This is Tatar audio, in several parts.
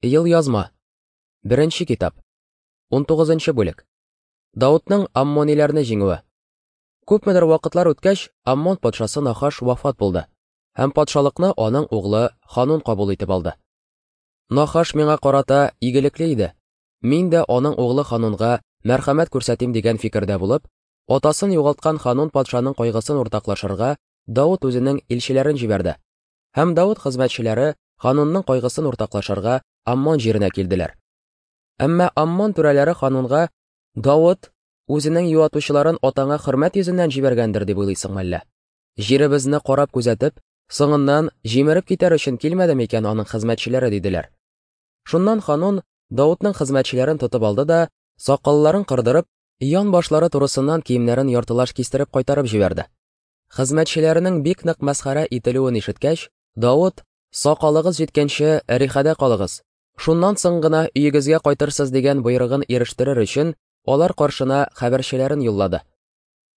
Елъязма. Беренче китап. 19 бүлек. Даутның аммониләрне җиңүе. Күпмедер вакытлар үткәч, Аммон патшасы Нахаш вафат булды, һәм патшалыкны аның углы Ханун кабул итеп алды. Нахаш миңа карата игелекле иде. Мин дә аның углы Ханунга мәрхәмәт күрсәтим дигән фикердә булып, атасын югалткан Ханун патшаның кайгысын уртаклашырга Даут үзенең илчеләрен җибәрде. Һәм Даут хезмәтчеләре Ханунның кайгысын уртаклашырга Аммон җиренә килделәр. Әмма Аммон түрәләре Ханунга Давыт үзенең юатучыларын атаңа хөрмәт йөзеннән җибәргәндер дип уйлыйсың мәллә? Җиребезне карап күзәтеп, соңыннан җимереп китәр өчен килмәде микән аның хезмәтчеләре диделәр. Шуннан Ханун Давытның хезмәтчеләрен тотып алды да, сакалларын кырдырып, ян башлары турысыннан киемнәрен яртылаш кистереп кайтарып җибәрде. Хезмәтчеләренең бик нык мәсхәрә ителүен ишеткәч, Давыт, сакалыгыз җиткәнче Әрихәдә калыгыз, шуннан соң гына өегезгә кайтырсыз дигән боерыгын ирештерер өчен, алар каршына хәбәрчеләрен юллады.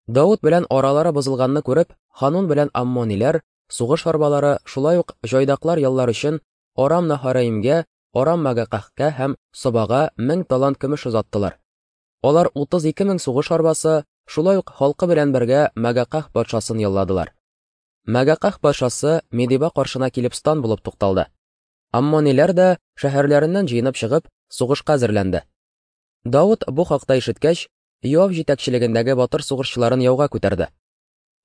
Давыт белән аралары бозылганны күреп, Ханун белән Аммониләр, сугыш арбалары, шулай ук җайдаклар яллар өчен Арам Наһараимгә, Арам Магакахка һәм Собага 1000 талант көмеш озаттылар. Алар 32 мең сугыш арбасы, шулай ук халкы белән бергә Магаках патшасын ялладылар. Мәгаках патшасы Медиба каршына килеп стан булып тукталды. Аммониләр дә шәһәрләреннән җыенып чыгып, сугышка әзерләнде. Давыт бу хакта ишеткәч, Йоав җитәкчелегендәге батыр сугышчыларын яуга күтәрде.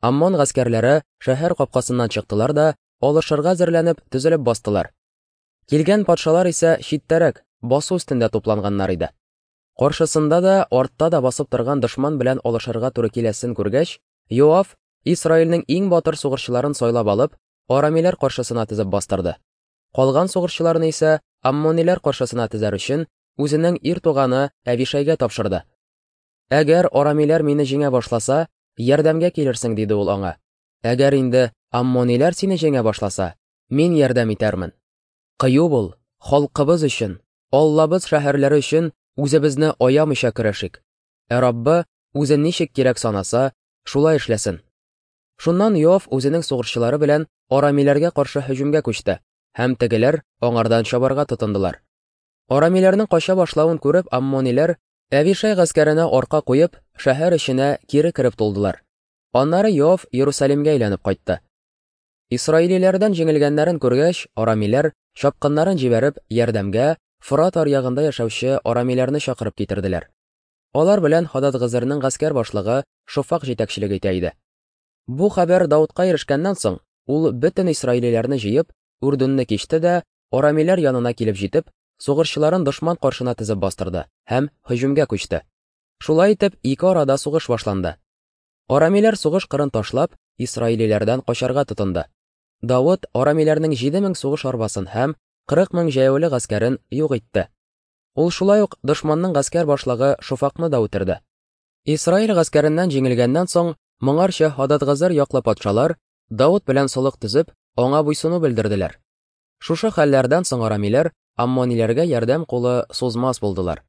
Аммон гаскәрләре шәһәр капкасыннан чыктылар да, алышырга әзерләнеп, төзелеп бастылар. Килгән патшалар исә читтәрәк, басу өстендә тупланганнар иде. Каршысында да, артта да басып торган дошман белән алышырга туры киләсен күргәч, Йоав Исраилнең иң батыр сугышчыларын сайлап алып, арамиләр каршысына тезеп бастырды. Калган сугышчыларны исә аммониләр каршысына тезәр өчен үзенең ир туганы Әвишәйгә тапшырды. Әгәр арамиләр мине җиңә башласа, ярдәмгә килерсең, диде ул аңа. Әгәр инде аммониләр сине җиңә башласа, мин ярдәм итәрмен. Кыю бул, халкыбыз өчен, Аллабыз шәһәрләре өчен үзебезне аямыйча көрәшик. Ә Раббы үзе ничек кирәк санаса, шулай эшләсен. Шуннан Йоав үзенең сугышчылары белән арамиләргә каршы һөҗүмгә күчте, һәм тегеләр аңардан чабарга тотындылар. Арамиләрнең кача башлавын күреп, аммониләр Әвишай гаскәренә арка куеп, шәһәр эченә кире кереп тулдылар. Аннары Йоав Иерусалимгә әйләнеп кайтты. Исраилиләрдән җиңелгәннәрен күргәч, арамиләр, чапкыннарын җибәреп, ярдәмгә Форат аръягында яшәүче арамиләрне чакырып китерделәр. Алар белән Һададгызырның гаскәр башлыгы Шофак җитәкчелек итә иде. Бу хәбәр Даутка ирешкәннән соң, ул бөтен исраилиләрне җыеп, Үрдүнне кичте дә, арамиләр янына килеп җитеп, сугышчыларын дошман каршына тезеп бастырды һәм һөҗүмгә күчте. Шулай итеп, ике арада сугыш башланды. Арамиләр сугыш кырын ташлап, исраилиләрдән качарга тотынды. Давыт арамиләрнең 7000 сугыш арбасын һәм 40 мең җәяүле гаскәрен юк итте. Ул шулай ук дошманның гаскәр башлыгы Шофакны да үтерде. Исраил гаскәреннән җиңелгәннән соң, моңарчы Һададгазыр яклы патшалар Давыт белән солых төзеп, аңа буйсыну белдерделәр. Шушы хәлләрдән соң арамиләр аммониләргә ярдәм кулы сузмас булдылар.